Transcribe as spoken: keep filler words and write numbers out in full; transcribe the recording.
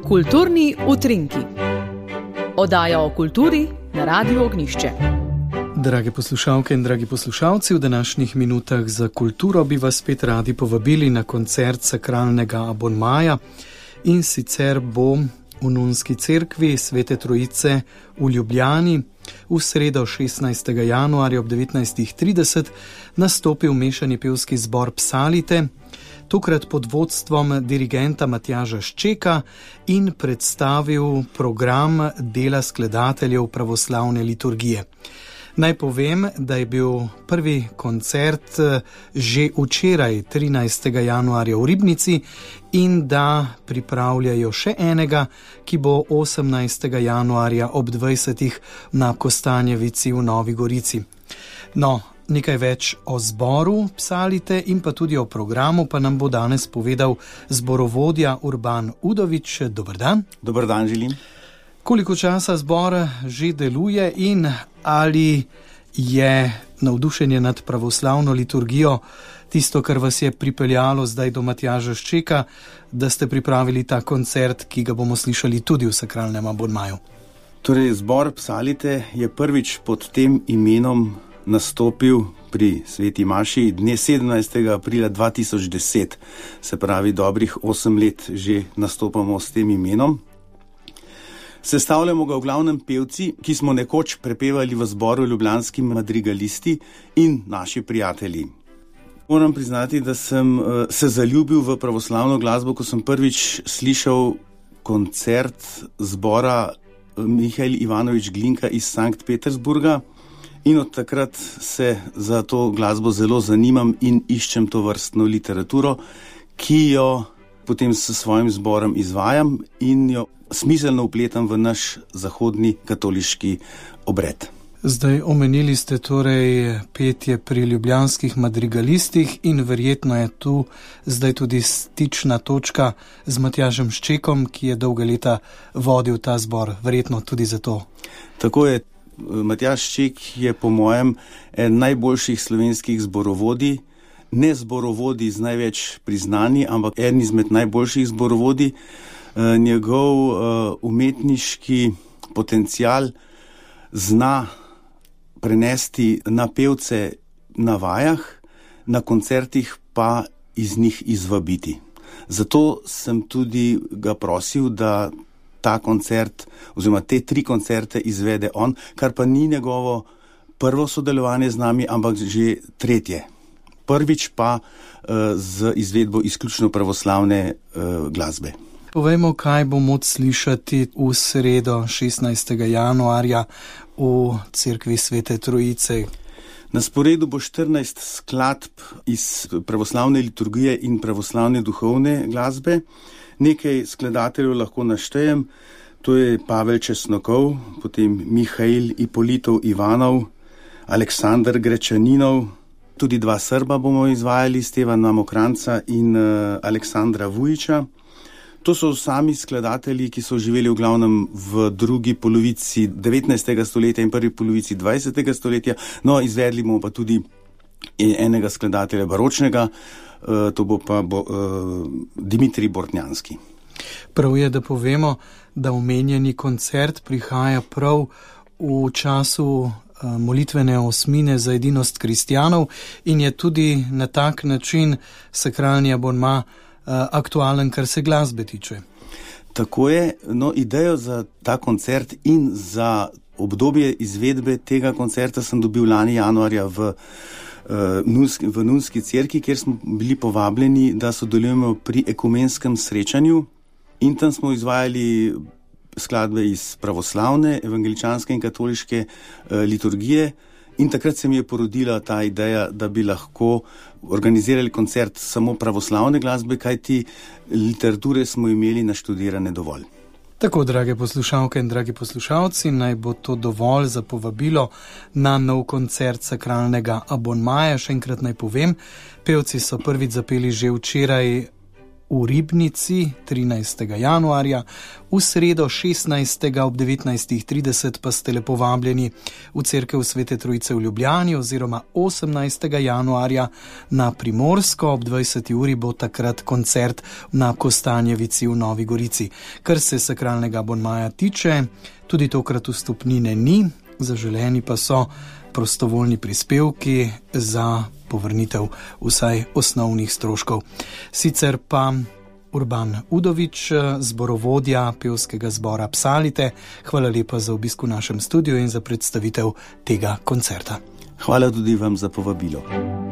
Kulturni utrinki. Oddaja o kulturi na Radiu Ognjišče. Drage poslušalke in dragi poslušalci, v današnjih minutah za kulturo bi vas spet radi povabili na koncert sakralnega abonmaja, in sicer bo v Nunski cerkvi Svete Trojice v Ljubljani v sredo šestnajstega januarja ob devetnajstih trideset nastopil mešani pevski zbor Psalite, tokrat pod vodstvom dirigenta Matjaža Ščeka, in predstavil program dela skladateljev pravoslavne liturgije. Naj povem, da je bil prvi koncert že včeraj, trinajstega januarja v Ribnici, in da pripravljajo še enega, ki bo osemnajstega januarja ob dvajsetih na Kostanjevici v Novi Gorici. No, nekaj več o zboru Psalite in pa tudi o programu pa nam bo danes povedal zborovodja Urban Udovič. Dober dan. Dober dan želim. Koliko časa zbor že deluje in ali je navdušenje nad pravoslavno liturgijo tisto, kar vas je pripeljalo zdaj do Matjaža Ščeka, da ste pripravili ta koncert, ki ga bomo slišali tudi v sakralnem abonmaju? Torej, zbor Psalite je prvič pod tem imenom nastopil pri Sveti Maši dne sedemnajstega aprila dva tisoč deset, se pravi dobrih osem let že nastopamo s tem imenom. Sestavljamo ga v glavnem pevci, ki smo nekoč prepevali v zboru ljubljanski madrigalisti in naši prijatelji. Moram priznati, da sem se zaljubil v pravoslavno glasbo, ko sem prvič slišal koncert zbora Mihael Ivanovič Glinka iz Sankt Petersburga, in od takrat se za to glasbo zelo zanimam in iščem to vrstno literaturo, ki jo potem s svojim zborom izvajam in jo smiselno vpletam v naš zahodni katoliški obred. Zdaj omenili ste torej petje pri ljubljanskih madrigalistih in verjetno je tu zdaj tudi stična točka z Matjažem Ščekom, ki je dolga leta vodil ta zbor, verjetno tudi zato. Tako je. Matjaž Šček je po mojem en najboljših slovenskih zborovodij, ne zborovodij z največ priznanji, ampak en izmed najboljših zborovodij. Njegov umetniški potencial zna prenesti na pevce na vajah, na koncertih pa iz njih izvabiti. Zato sem tudi ga prosil, da ta koncert oziroma te tri koncerte izvede on, kar pa ni njegovo prvo sodelovanje z nami, ampak že tretje. Prvič pa uh, z izvedbo izključno pravoslavne uh, glasbe. Povejmo, kaj bo moč slišati v sredo šestnajstega januarja v cerkvi Svete Trojice. Na sporedu bo štirinajst skladb iz pravoslavne liturgije in pravoslavne duhovne glasbe. Nekaj skladateljev lahko naštejem, to je Pavel Česnokov, potem Mihail Ipolitov Ivanov, Aleksandar Grečaninov, tudi dva Srba bomo izvajali, Stevana Mokranca in uh, Aleksandra Vujiča. To so sami skladatelji, ki so živeli v glavnem v drugi polovici devetnajstega stoletja in prvi polovici dvajsetega stoletja, no izvedli bomo pa tudi enega skladatelja baročnega, Uh, to bo pa bo, uh, Dimitrij Bortnjanski. Prav je, da povemo, da omenjeni koncert prihaja prav v času uh, molitvene osmine za edinost kristjanov in je tudi na tak način sakralni abonma uh, aktualen, kar se glasbe tiče. Tako je, no idejo za ta koncert in za obdobje izvedbe tega koncerta sem dobil lani januarja v v Nunski cerkvi, kjer smo bili povabljeni, da sodelujemo pri ekumenskem srečanju, in tam smo izvajali skladbe iz pravoslavne, evangeličanske in katoliške liturgije, in takrat se mi je porodila ta ideja, da bi lahko organizirali koncert samo pravoslavne glasbe, kajti literature smo imeli naštudirane dovolj. Tako, drage poslušalke in dragi poslušalci, naj bo to dovolj za povabilo na nov koncert sakralnega abonmaja. Še enkrat naj povem, pevci so prvič zapeli že včeraj v Ribnici trinajstega januarja, v sredo šestnajstega ob devetnajstih trideset pa ste lepo vabljeni v cerkev Svete Trojice v Ljubljani oziroma osemnajstega januarja na Primorsko ob dvajseti uri bo takrat koncert na Kostanjevici v Novi Gorici. Kar se sakralnega abonmaja tiče, tudi tokrat vstopnine ni, zaželeni pa so prostovoljni prispevki za povrnitev vsaj osnovnih stroškov. Sicer pa Urban Udovič, zborovodja pevskega zbora Psalite, hvala lepa za obisk v našem studiu in za predstavitev tega koncerta. Hvala tudi vam za povabilo.